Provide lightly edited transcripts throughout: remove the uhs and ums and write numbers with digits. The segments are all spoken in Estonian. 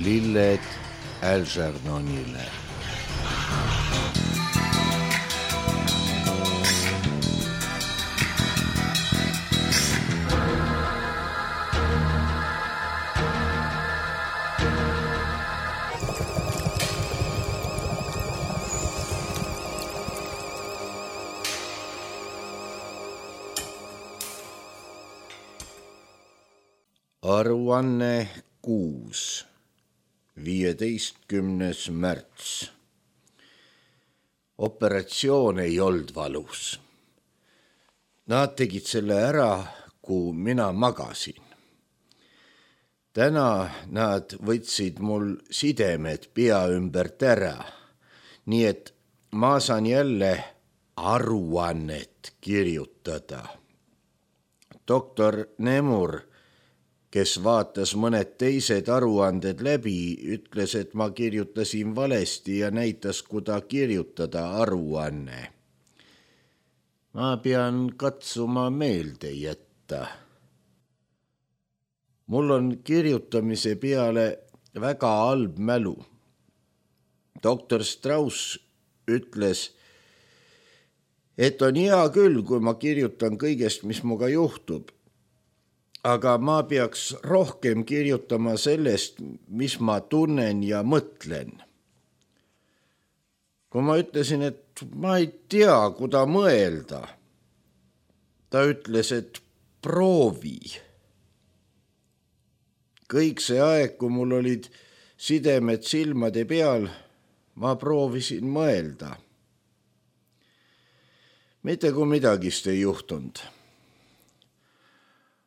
lilled Algernonile. Aruanne 6. 15. märts. Operatsioon ei olnud valus. Nad tegid selle ära, kui mina magasin. Täna nad võtsid mul sidemed pea ümbert ära, nii et ma saan jälle aruannet kirjutada. Doktor Nemur, kes vaatas mõned teised aruanded läbi, ütles, et ma kirjutasin valesti ja näitas, kuda kirjutada aruanne. Ma pean katsuma meelde jätta. Mul on kirjutamise peale väga halb mälu. Doktor Strauss ütles, et on hea küll, kui ma kirjutan kõigest, mis muga juhtub. Aga ma peaks rohkem kirjutama sellest, mis ma tunnen ja mõtlen. Kui ma ütlesin, et ma ei tea, kuda mõelda, ta ütles, et proovi. Kõik see aeg, kui mul olid sidemed silmade peal, ma proovisin mõelda. Mitte kui midagist ei juhtunud.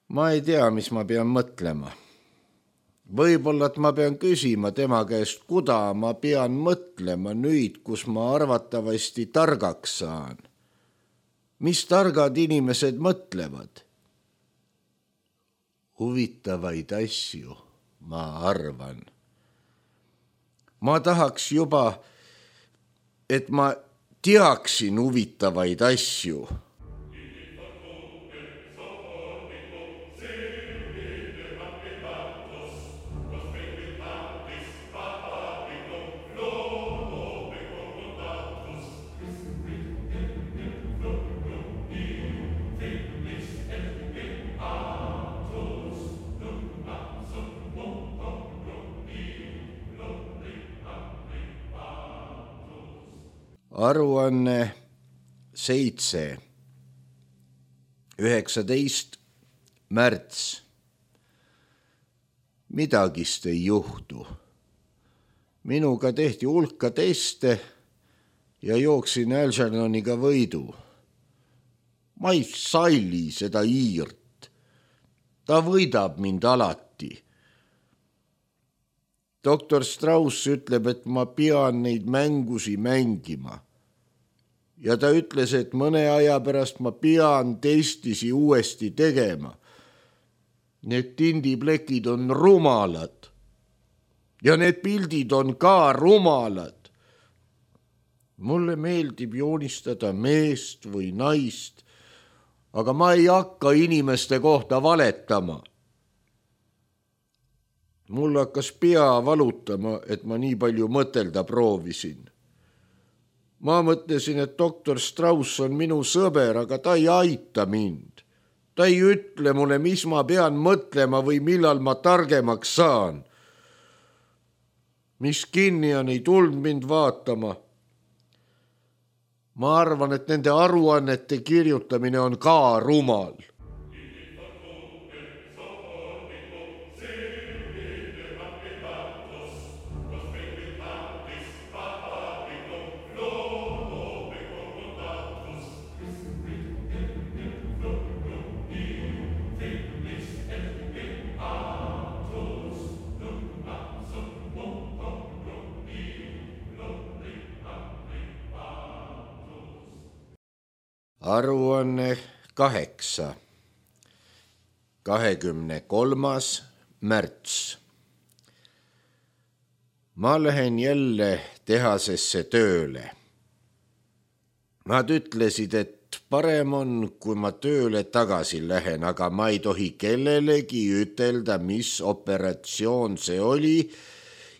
Ma ei tea, mis ma pean mõtlema. Võib-olla, et ma pean küsima tema käest, kuda ma pean mõtlema nüüd, kus ma arvatavasti targaks saan. Mis targad inimesed mõtlevad? Huvitavaid asju, ma arvan. Ma tahaks juba, et ma teaksin huvitavaid asju. Aruanne 7. 19. märts. Midagist ei juhtu. Minuga tehti hulka teste ja jooksin Algernoniga võidu. Ma ei salli seda Iirt. Ta võidab mind alati. Doktor Strauss ütleb, et ma pean neid mängusi mängima. Ja ta ütles, et mõne aja pärast ma pean testisi uuesti tegema. Need tindiplekid on rumalad. Ja need pildid on ka rumalad. Mulle meeldib joonistada meest või naist, aga ma ei hakka inimeste kohta valetama. Mul hakkas pea valutama, et ma nii palju mõtelda proovisin. Ma mõtlesin, et doktor Strauss on minu sõber, aga ta ei aita mind. Ta ei ütle mulle, mis ma pean mõtlema või millal ma targemaks saan. Mis kinni on, ei tulnud mind vaatama. Ma arvan, et nende aruannete kirjutamine on ka rumal. Aruanne 8. 23. märts. Ma lähen jälle tehasesse tööle. Nad ütlesid, et parem on, kui ma tööle tagasi lähen, aga ma ei tohi kellelegi ütelda, mis operatsioon see oli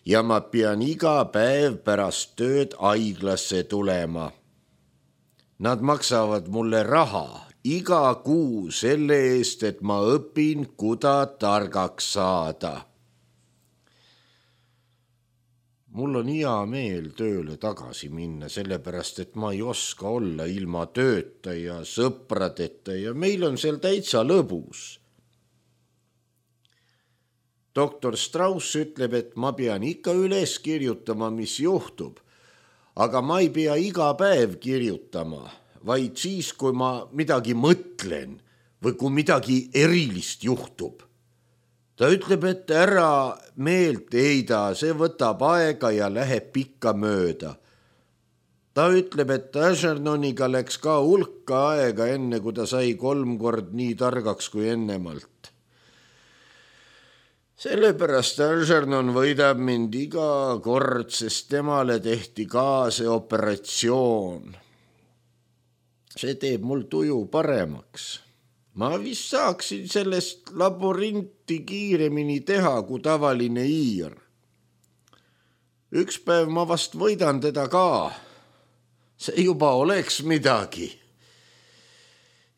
ja ma pean iga päev pärast tööd haiglasse tulema. Nad maksavad mulle raha iga kuu selle eest, et ma õpin, kuda targaks saada. Mul on hea meel tööle tagasi minna, sellepärast, et ma ei oska olla ilma tööta ja sõpradeta ja meil on seal täitsa lõbus. Doktor Strauss ütleb, et ma pean ikka üles kirjutama, mis juhtub, aga ma ei pea iga päev kirjutama, vaid siis, kui ma midagi mõtlen või kui midagi erilist juhtub. Ta ütleb, et ära meelt heida, see võtab aega ja läheb pikka mööda. Ta ütleb, et Algernoniga läks ka hulka aega enne, kui ta sai 3 kord nii targaks kui ennemalt. Sellepärast Algernon võidab mind iga kord, sest temale tehti ka see operatsioon. See teeb mul tuju paremaks. Ma vist saaksin sellest laborinti kiiremini teha kui tavaline hiir. Üks päev ma vast võidan teda ka. See juba oleks midagi.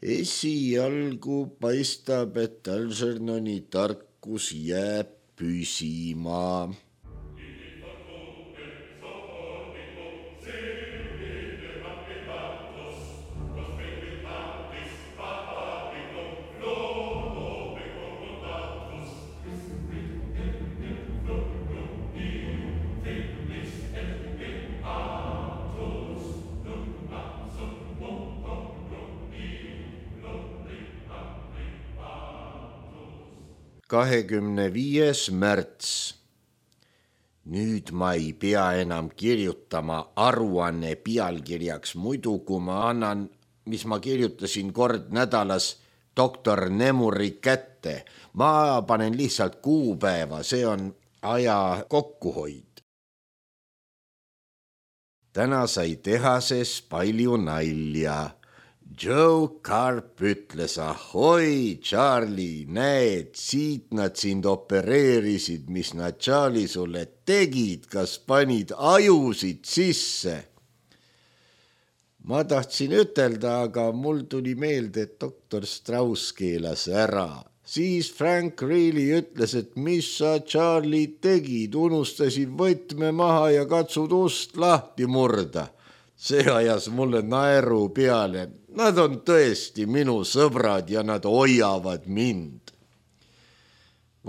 Esialgu paistab, et Algernoni tarkus jääb püsima. ...25. märts. Nüüd ma ei pea enam kirjutama aruanne pealkirjaks, muidu kui ma annan, mis ma kirjutasin kord nädalas doktor Nemuri kätte. Ma panen lihtsalt kuupäeva, see on aja kokkuhoid. Täna sai tehases palju nalja. Joe Carp ütles, ahoi, Charlie, näed, siit nad sind opereerisid, mis nad Charlie sulle tegid, kas panid ajusid sisse? Ma tahtsin ütelda, aga mul tuli meelde, et doktor Strauss keelas ära. Siis Frank Reilly ütles, et mis sa Charlie tegid, unustasid võtme maha ja katsud ust lahti murda. See ajas mulle naeru peale. Nad on tõesti minu sõbrad ja nad hoiavad mind.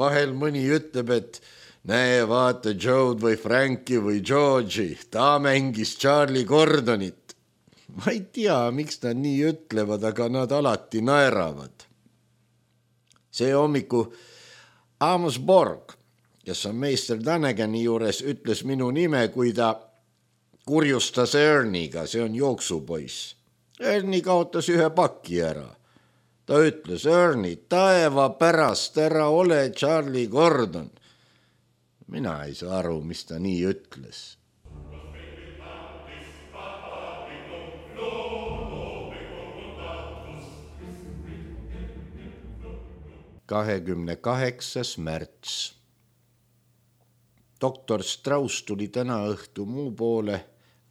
Vahel mõni ütleb, et näe, vaata Joe'd või Franki või George'i, ta mängis Charlie Gordonit. Ma ei tea, miks nad nii ütlevad, aga nad alati naeravad. See hommiku Amos Borg, kes on meister Danagani juures, ütles minu nime, kui ta kurjustas Erniga, see on jooksupoiss. Ernie kaotas ühe paki ära. Ta ütles, Ernie, taeva pärast ära ole Charlie Gordon. Mina ei saa aru, mis ta nii ütles. ...28. märts. Doktor Strauss tuli täna õhtu muu poole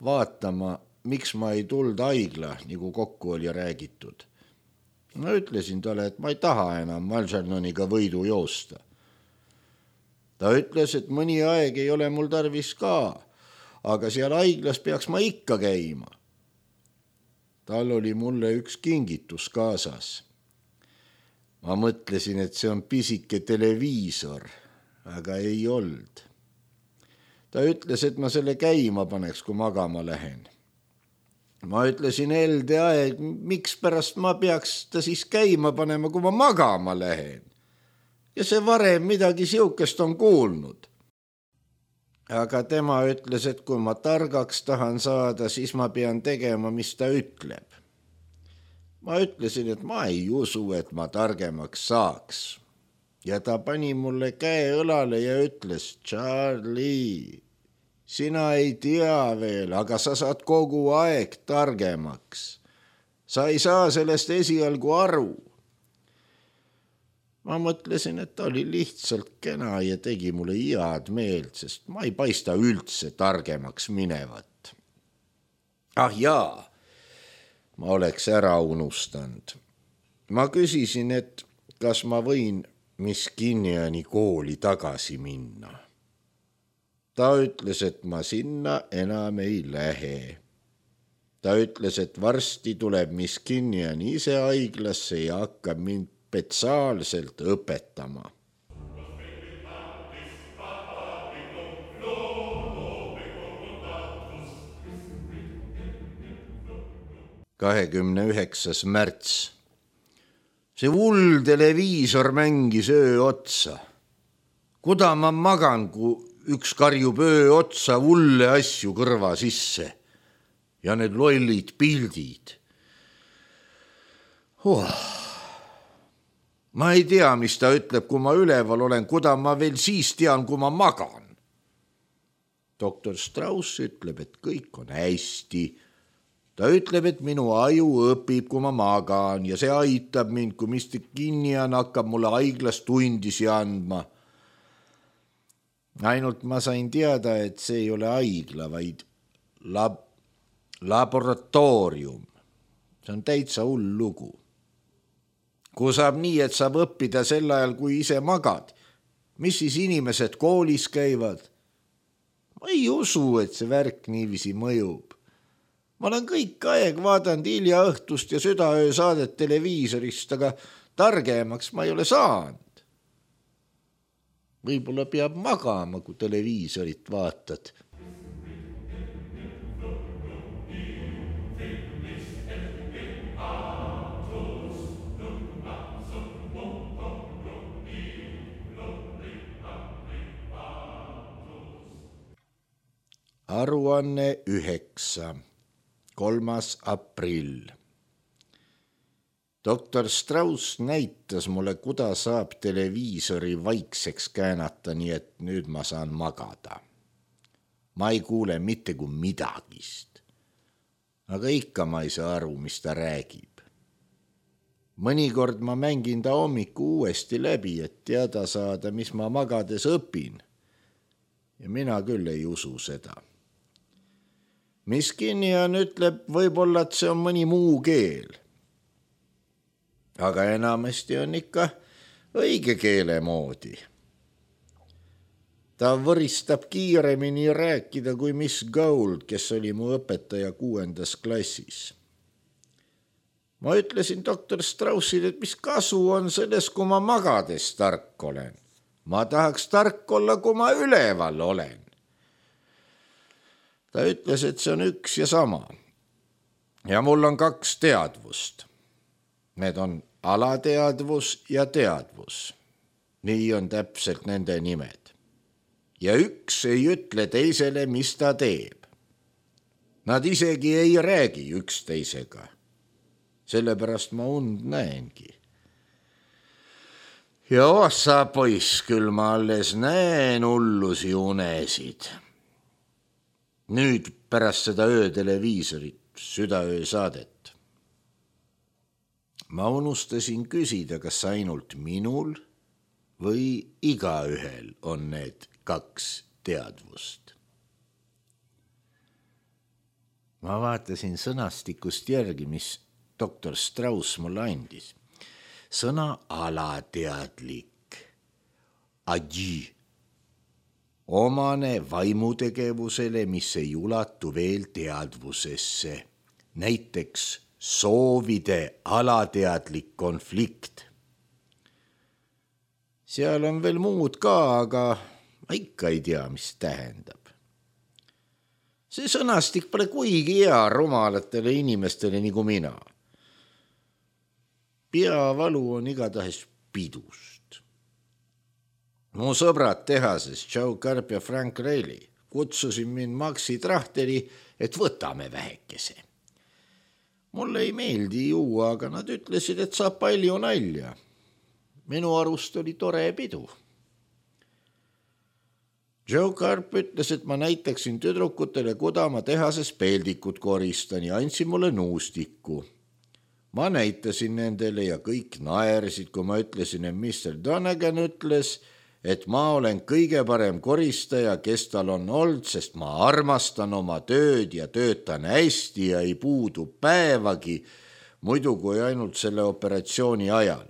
vaatama, miks ma ei tuld haigla, nagu kokku oli räägitud. Ma ütlesin talle, et ma ei taha enam Algernoniga võidu joosta. Ta ütles, et mõni aeg ei ole mul tarvis ka, aga seal haiglas peaks ma ikka käima. Tal oli mulle üks kingitus kaasas. Ma mõtlesin, et see on pisike televiisor, aga ei olnud. Ta ütles, et ma selle käima paneks, kui magama lähen. Ma ütlesin LDA, miks pärast ma peaks ta siis käima panema, kui ma magama lähen. Ja see varem midagi siukest on kuulnud. Aga tema ütles, et kui ma targaks tahan saada, siis ma pean tegema, mis ta ütleb. Ma ütlesin, et ma ei usu, et ma targemaks saaks. Ja ta pani mulle käe õlale ja ütles, Charlie, sina ei tea veel, aga sa saad kogu aeg targemaks. Sa ei saa sellest esialgu aru. Ma mõtlesin, et ta oli lihtsalt kena ja tegi mulle head meelt, sest ma ei paista üldse targemaks minevat. Ah jaa, ma oleks ära unustanud. Ma küsisin, et kas ma võin Miss Kinniani kooli tagasi minna. Ta ütles, et ma sinna enam ei lähe. Ta ütles, et varsti tuleb Miss Kinnian ise haiglasse ja hakkab mind spetsiaalselt õpetama. –29. märts. See hull televiisor mängis öö otsa. Kuda ma magan, kui üks karjub öö otsa hulle asju kõrva sisse ja need lollid pildid. Ma ei tea, mis ta ütleb, kui ma üleval olen, kuda ma veel siis tean, kui ma magan. Doktor Strauss ütleb, et kõik on hästi. Ta ütleb, et minu aju õpib, kui ma magan ja see aitab mind, kui Mr. Kinnian hakkab mulle haiglas tundisi andma. Ainult ma sain teada, et see ei ole haigla, vaid laboratoorium. See on täitsa hull lugu. Kui saab nii, et saab õppida sel ajal, kui ise magad, mis siis inimesed koolis käivad? Ma ei usu, et see värk niiviisi mõjub. Ma olen kõik aeg vaadanud hilja õhtust ja südaöö saadet televiisorist, aga targemaks ma ei ole saanud. Võib-olla peab magama, kui televiisorit vaatad. Aruanne 9. 3. aprill. Doktor Strauss näitas mulle, kuda saab televiisori vaikseks käänata, nii et nüüd ma saan magada. Ma ei kuule mitte kui midagist. Aga ikka ma ei saa aru, mis ta räägib. Mõnikord ma mängin ta hommiku uuesti läbi, et teada saada, mis ma magades õpin. Ja mina küll ei usu seda. Miss Kinnian ütleb võib-olla, et see on mõni muu keel. Aga enamasti on ikka õige keele moodi. Ta võristab kiiremini rääkida kui Miss Gould, kes oli mu õpetaja 6. klassis. Ma ütlesin doktor Straussile, et mis kasu on selles, kui ma magades tark olen. Ma tahaks tark olla, kui ma üleval olen. Ta ütles, et see on üks ja sama. Ja mul on 2 teadvust. Need on alateadvus ja teadvus. Nii on täpselt nende nimed. Ja üks ei ütle teisele, mis ta teeb. Nad isegi ei räägi üksteisega. Sellepärast ma und näengi. Ja ossa poiss, küll ma alles näen hullusi unesid. Nüüd pärast seda ööteleviisorit, südaöö saadet. Ma unustasin küsida, kas ainult minul või igaühel on need 2 teadvust. Ma vaatasin sõnastikust järgi, mis doktor Strauss mulle andis. Sõna alateadlik, adji, omane vaimutegevusele, mis ei ulatu veel teadvusesse, näiteks soovide alateadlik konflikt. Seal on veel muud ka, aga ma ikka ei tea, mis tähendab. See sõnastik pole kuigi hea rumalatele inimestele nagu mina. Peavalu on igatahes pidust. Mu sõbrad tehases, Joe Karp ja Frank Reilly, kutsusin mind Maxi Trahteri, et võtame vähekese. Mulle ei meeldi juua, aga nad ütlesid, et saab palju nalja. Minu arust oli tore pidu. Joe Karp ütles, et ma näitaksin tüdrukutele, kuda ma tehases peldikut koristan ja andsin mulle nuustiku. Ma näitasin nendele ja kõik naersid, kui ma ütlesin, et Mr. Donegan ütles, et ma olen kõige parem koristaja, kes tal on olnud, sest ma armastan oma tööd ja töötan hästi ja ei puudu päevagi, muidu kui ainult selle operatsiooni ajal.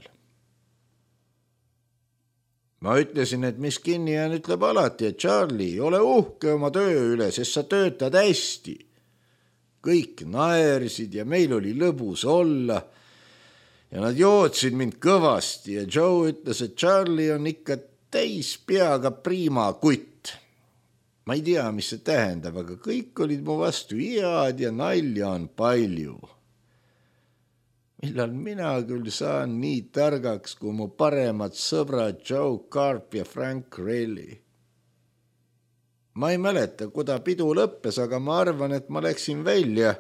Ma ütlesin, et Miss Kinnian ütleb alati, et Charlie, ole uhke oma töö üle, sest sa töötad hästi. Kõik naersid ja meil oli lõbus olla ja nad jootsid mind kõvasti ja Joe ütles, et Charlie on ikka täis peaga priima kutt. Ma ei tea, mis see tähendab, aga kõik olid mu vastu head ja nalja on palju. Millal mina küll saan nii targaks kui mu paremad sõbrad Joe Karp ja Frank Relli. Ma ei mäleta, kuda pidu lõppes, aga ma arvan, et ma läksin välja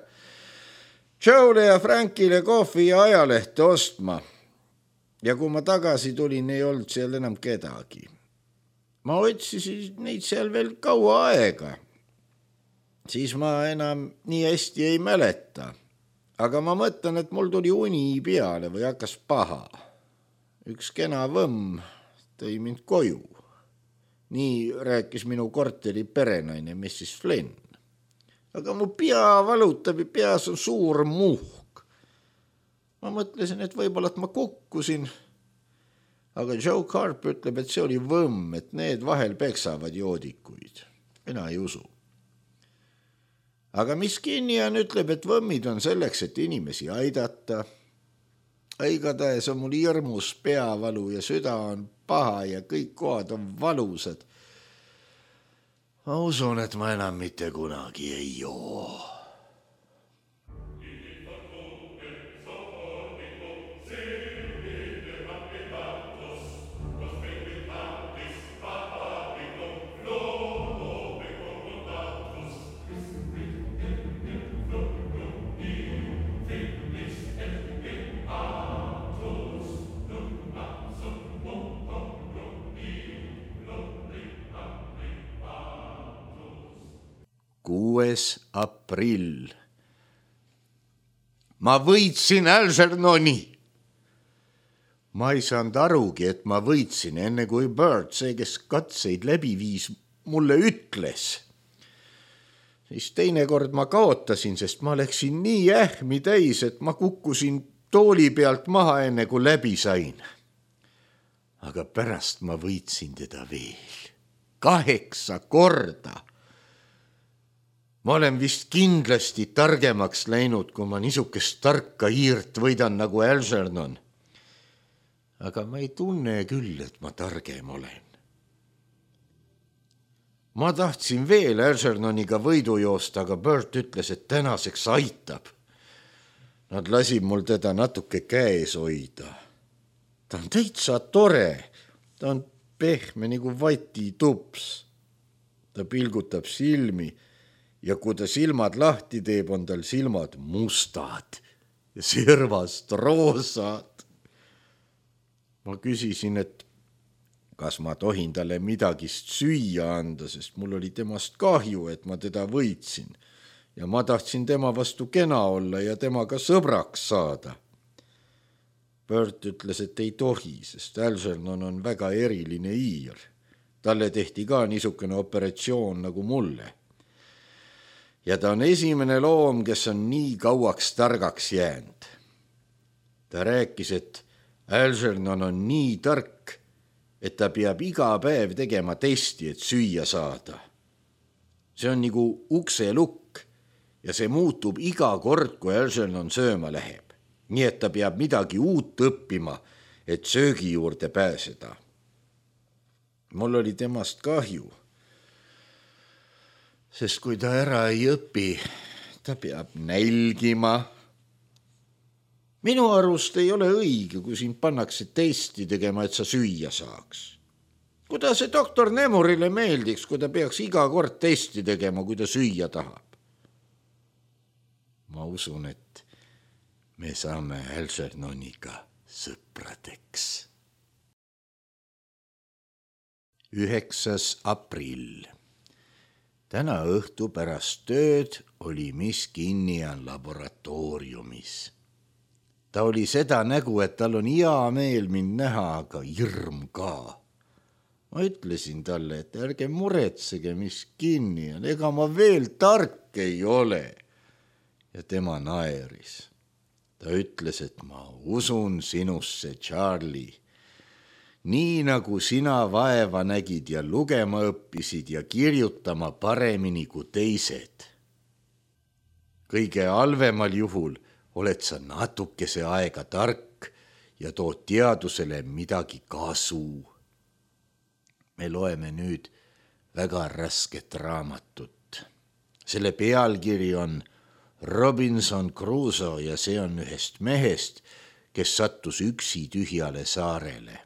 Joe'le ja Frankile kohvi ja ajalehte ostma. Ja kui ma tagasi tulin, ei olnud seal enam kedagi. Ma otsisin neid seal veel kaua aega. Siis ma enam nii hästi ei mäleta. Aga ma mõtlen, et mul tuli uni peale või hakkas paha. Üks kena võmm tõi mind koju. Nii rääkis minu korteri perenaine Mrs. Flynn. Aga mu pea valutab ja peas on suur muhk. Ma mõtlesin, et võib-olla et ma kukkusin. Aga Joe Karp ütleb, et see oli võmm, et need vahel peksavad joodikuid. Mina ei usu. Aga Miss Kinnian ütleb, et võmmid on selleks, et inimesi aidata. Igatahes on mul hirmus peavalu ja süda on paha ja kõik kohad on valusad. Ma usun, et ma enam mitte kunagi ei joo. Aprill. Ma võitsin Algernoni. Ma ei saanud arugi, et ma võitsin, enne kui Bert, see, kes katseid läbi viis, mulle ütles. Siis teinekord ma kaotasin, sest ma läksin nii ähmi täis, et ma kukkusin tooli pealt maha, enne kui läbi sain. Aga pärast ma võitsin teda veel 8 korda. Ma olen vist kindlasti targemaks läinud, kui ma niisugust tarka hiirt võidan nagu Algernon. Aga ma ei tunne küll, et ma targem olen. Ma tahtsin veel Algernoniga võidu joosta, aga Bert ütles, et tänaseks aitab. Nad lasid mul teda natuke käes hoida. Ta on täitsa tore. Ta on pehme nagu vatitups. Ta pilgutab silmi. Ja kui ta silmad lahti teeb, on tal silmad mustad ja servast roosad. Ma küsisin, et kas ma tohin talle midagi süüa anda, sest mul oli temast kahju, et ma teda võitsin. Ja ma tahtsin tema vastu kena olla ja temaga sõbraks saada. Bert ütles, et ei tohi, sest Algernon on väga eriline hiir. Talle tehti ka niisugune operatsioon nagu mulle. Ja ta on esimene loom, kes on nii kauaks targaks jäänud. Ta rääkis, et Algernon on nii tark, et ta peab iga päev tegema testi, et süüa saada. See on nagu ukselukk ja see muutub iga kord, kui Algernon sööma läheb. Nii et ta peab midagi uut õppima, et söögi juurde pääseda. Mul oli temast kahju. Sest kui ta ära ei õpi, ta peab nälgima. Minu arust ei ole õige, kui sind pannakse testi tegema, et sa süüa saaks. Kuidas see doktor Nemurile meeldiks, kui ta peaks iga kord testi tegema, kui ta süüa tahab? Ma usun, et me saame Algernoniga sõpradeks. 9. aprill. Täna õhtu pärast tööd oli Miss Kinnian laboratooriumis. Ta oli seda nägu, et tal on hea meel mind näha, aga hirm ka. Ma ütlesin talle, et ärge muretsege, mis kinni on, ega ma veel tark ei ole. Ja tema naeris. Ta ütles, et ma usun sinusse, Charlie. Nii nagu sina vaeva nägid ja lugema õppisid ja kirjutama paremini kui teised. Kõige halvemal juhul oled sa natukese aega tark ja tood teadusele midagi kasu. Me loeme nüüd väga rasket raamatut. Selle pealkiri on Robinson Crusoe ja see on ühest mehest, kes sattus üksi tühjale saarele.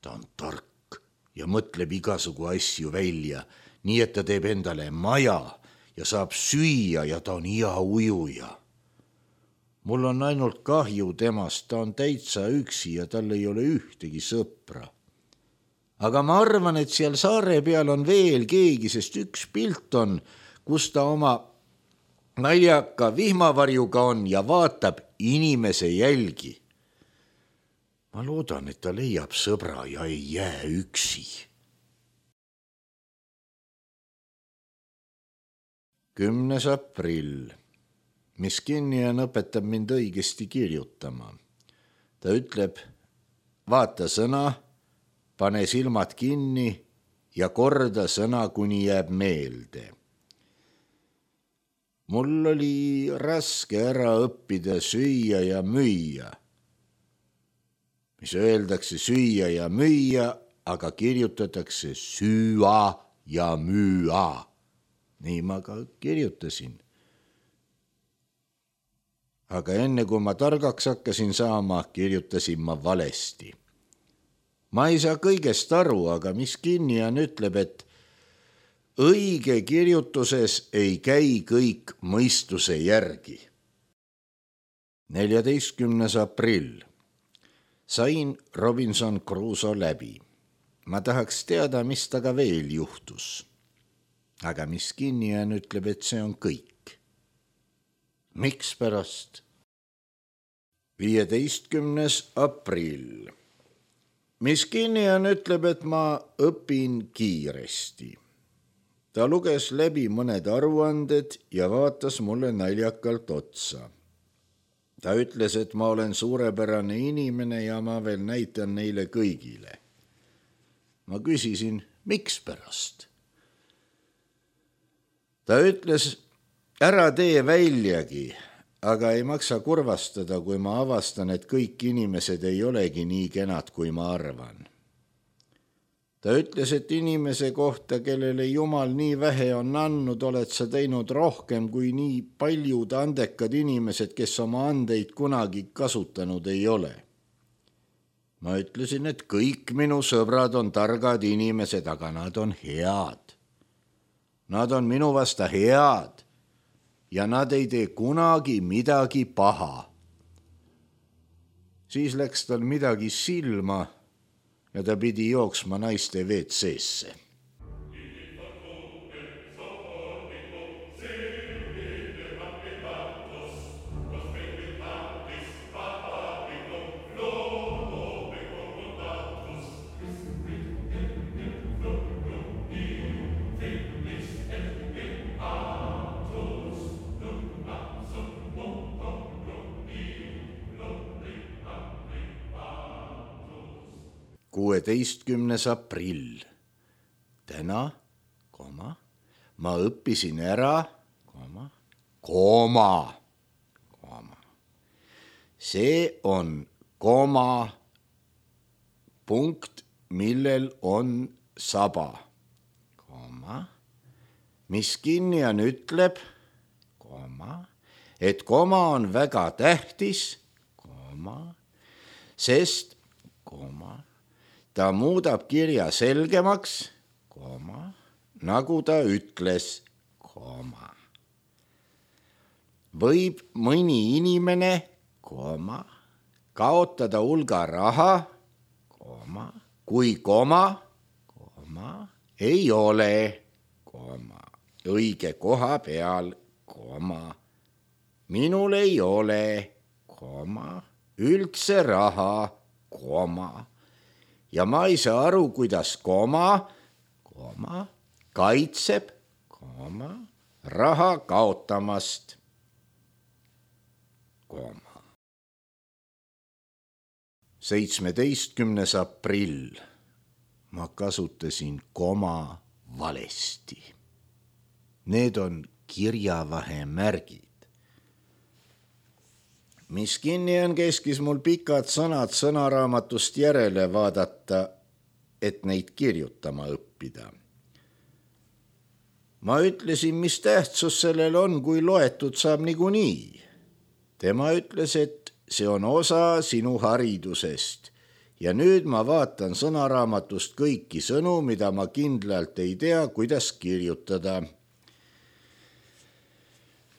Ta on tark ja mõtleb igasugu asju välja, nii et ta teeb endale maja ja saab süüa ja ta on hea ujuja. Mul on ainult kahju temast, ta on täitsa üksi ja tal ei ole ühtegi sõpra. Aga ma arvan, et seal saare peal on veel keegi, sest üks pilt on, kus ta oma naljaka vihmavarjuga on ja vaatab inimese jälgi. Ma loodan, et ta leiab sõbra ja ei jää üksi. 10. aprill. Miskinian õpetab mind õigesti kirjutama. Ta ütleb, vaata sõna, pane silmad kinni ja korda sõna, kuni jääb meelde. Mul oli raske ära õppida süüa ja müüa. Mis öeldakse süüa ja müüa, aga kirjutatakse süüa ja müüa. Nii ma ka kirjutasin. Aga enne kui ma targaks hakkasin saama, kirjutasin ma valesti. Ma ei saa kõigest aru, aga Miskinian ütleb, et õige kirjutuses ei käi kõik mõistuse järgi. 14. aprill. Sain Robinson Crusoe läbi. Ma tahaks teada, mis taga veel juhtus. Aga Miskinian ütleb, et see on kõik. Miks pärast? 15. aprill. Miskinian ütleb, et ma õpin kiiresti. Ta luges läbi mõned aruanded ja vaatas mulle naljakalt otsa. Ta ütles, et ma olen suurepärane inimene ja ma veel näitan neile kõigile. Ma küsisin, miks pärast? Ta ütles, ära tee väljagi, aga ei maksa kurvastada, kui ma avastan, et kõik inimesed ei olegi nii kenad, kui ma arvan. Ta ütles, et inimese kohta, kellele Jumal nii vähe on andnud, oled sa teinud rohkem kui nii paljud andekad inimesed, kes oma andeid kunagi kasutanud ei ole. Ma ütlesin, et kõik minu sõbrad on targad inimesed, aga nad on head. Nad on minu vasta head ja nad ei tee kunagi midagi paha. Siis läks tal midagi silma ja ta pidi jooksma naiste WC-sse. Kuueteistkümnes aprill. Täna, ma õppisin ära, see on punkt, millel on saba. Miskinian ütleb, et koma on väga tähtis, sest ta muudab kirja selgemaks, nagu ta ütles, võib mõni inimene, kaotada hulga raha, kui ei ole, õige koha peal, minul ei ole, üldse raha, koma. Ja ma ei saa aru, kuidas koma, kaitseb, raha kaotamast, koma. 17. aprill. Ma kasutasin koma valesti. Need on kirjavahemärgid. Mis Kinnian keskis mul pikad sõnad sõnaraamatust järele vaadata, et neid kirjutama õppida. Ma ütlesin, mis tähtsus sellel on, kui loetud saab niikuinii. Tema ütles, et see on osa sinu haridusest ja nüüd ma vaatan sõnaraamatust kõiki sõnu, mida ma kindlalt ei tea, kuidas kirjutada.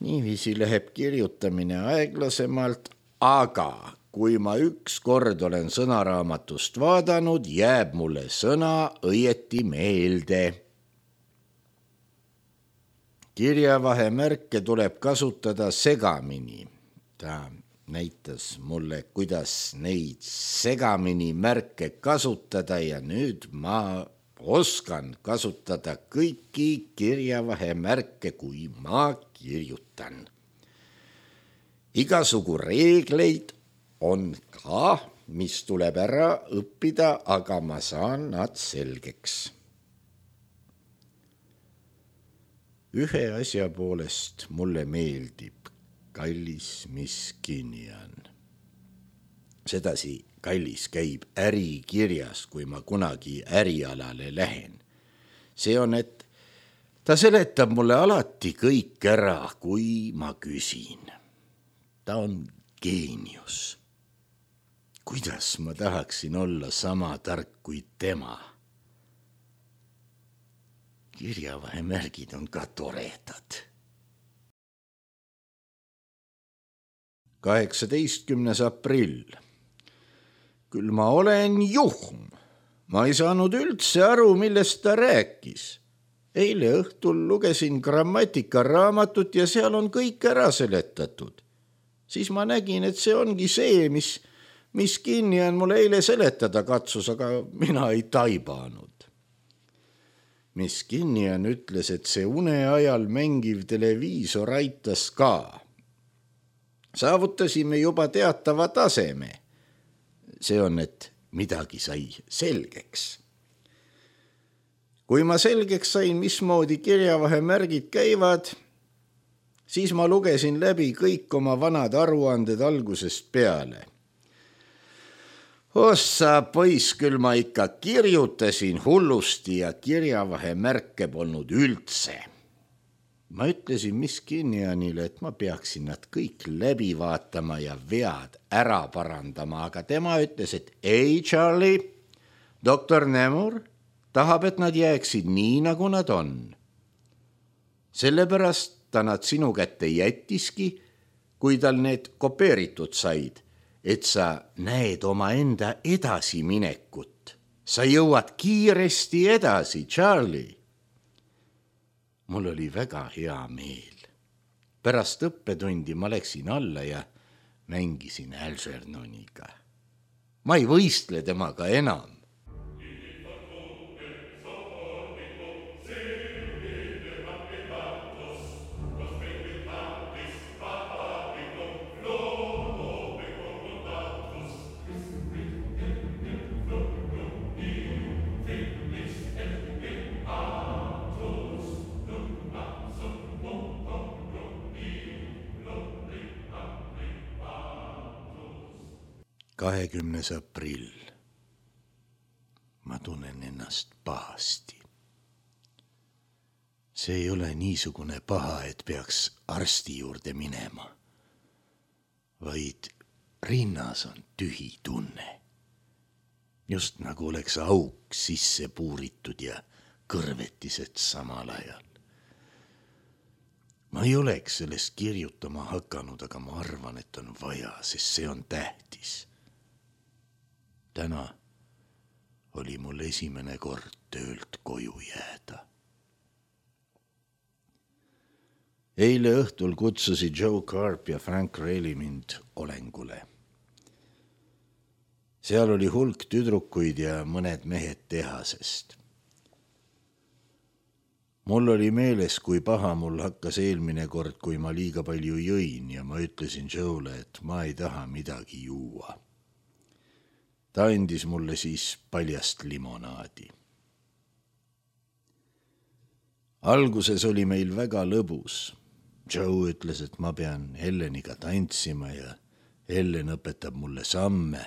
Niiviisi läheb kirjutamine aeglasemalt, aga kui ma üks kord olen sõnaraamatust vaadanud, jääb mulle sõna õieti meelde. Kirjavahemärke tuleb kasutada segamini. Ta näitas mulle, kuidas neid segamini märke kasutada ja nüüd ma oskan kasutada kõiki kirjavahemärke, kui ma kirjutan. Igasugu reegleid on ka, mis tuleb ära õppida, aga ma saan nad selgeks. Ühe asja poolest mulle meeldib kallis Miss Kinnian. Sedasi kallis käib ärikirjas, kui ma kunagi ärialale lähen. See on, et ta seletab mulle alati kõik ära, kui ma küsin. Ta on geenius. Kuidas ma tahaksin olla sama tark kui tema? Kirjavahemärgid on ka toredad. 18. aprill. Küll ma olen juhm. Ma ei saanud üldse aru, millest ta rääkis. Eile õhtul lugesin grammatikaraamatut ja seal on kõik ära seletatud. Siis ma nägin, et see ongi see, mis Kinnian mulle eile seletada katsus, aga mina ei taibanud. Miss Kinnian ütles, et see une ajal mängiv televiisor aitas ka. Saavutasime juba teatava taseme. See on, et midagi sai selgeks. Kui ma selgeks sain, mismoodi kirjavahemärgid käivad, siis ma lugesin läbi kõik oma vanad aruanded algusest peale. Ossa poiss, küll ma ikka kirjutasin hullusti ja kirjavahemärke polnud üldse. Ma ütlesin Miss Kinnianile, et ma peaksin nad kõik läbi vaatama ja vead ära parandama, aga tema ütles, et ei, Charlie, doktor Nemur tahab, et nad jääksid nii, nagu nad on. Sellepärast ta nad sinu kätte jättiski, kui tal need kopeeritud said, et sa näed oma enda edasiminekut. Sa jõuad kiiresti edasi, Charlie. Mul oli väga hea meel. Pärast õppetundi ma läksin alla ja mängisin Algernoniga. Ma ei võistle temaga enam. ...20. aprill. Ma tunnen ennast pahasti. See ei ole niisugune paha, et peaks arsti juurde minema, vaid rinnas on tühi tunne. Just nagu oleks auk sisse puuritud ja kõrvetised samal ajal. Ma ei oleks sellest kirjutama hakanud, aga ma arvan, et on vaja, sest see on tähtis. Täna oli mul esimene kord töölt koju jääda. Eile õhtul kutsusid Joe Carp ja Frank Reilly mind olengule. seal oli hulk tüdrukuid ja mõned mehed tehasest. Mul oli meeles, kui paha mul hakkas eelmine kord, kui ma liiga palju jõin ja ma ütlesin Joe'le, et ma ei taha midagi juua. Ta andis mulle siis paljast limonaadi. Alguses oli meil väga lõbus. Joe ütles, et ma pean Elleniga tantsima ja Ellen õpetab mulle samme.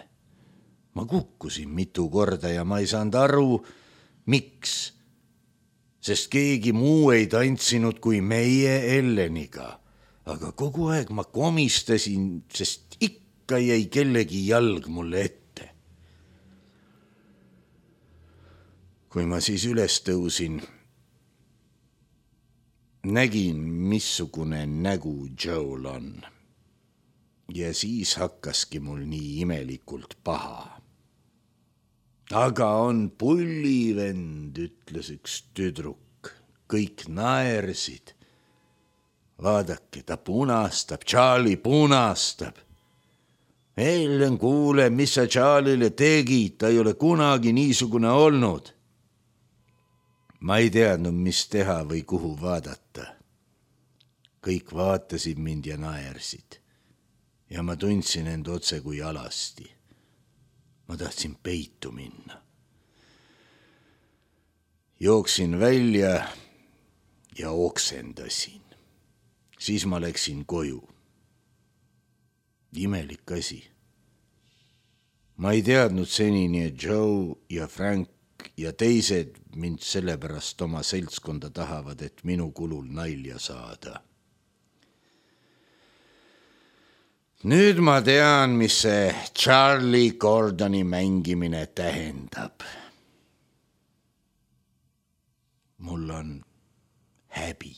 Ma kukkusin mitu korda ja ma ei saanud aru, miks. Sest keegi muu ei tantsinud kui meie Elleniga. Aga kogu aeg ma komistasin, sest ikka jäi kellegi jalg mulle ette. Kui ma siis üles tõusin, nägin, missugune nägu Joel on. Ja siis hakkaski mul nii imelikult paha. Aga on pullivend, ütles üks tüdruk. Kõik naersid. Vaadake, ta punastab, Charlie punastab. Ellen, kuule, mis sa Charlie'le tegid, ta ei ole kunagi niisugune olnud. Ma ei teadnud, mis teha või kuhu vaadata. Kõik vaatasid mind ja naersid. Ja ma tundsin end otse kui alasti. Ma tahtsin peitu minna. Jooksin välja ja oksendasin. Siis ma läksin koju. Imelik asi. Ma ei teadnud senini, et Joe ja Frank ja teised mind sellepärast oma seltskonda tahavad, et minu kulul nalja saada. Nüüd ma tean, mis see Charlie Gordoni mängimine tähendab. Mul on häbi.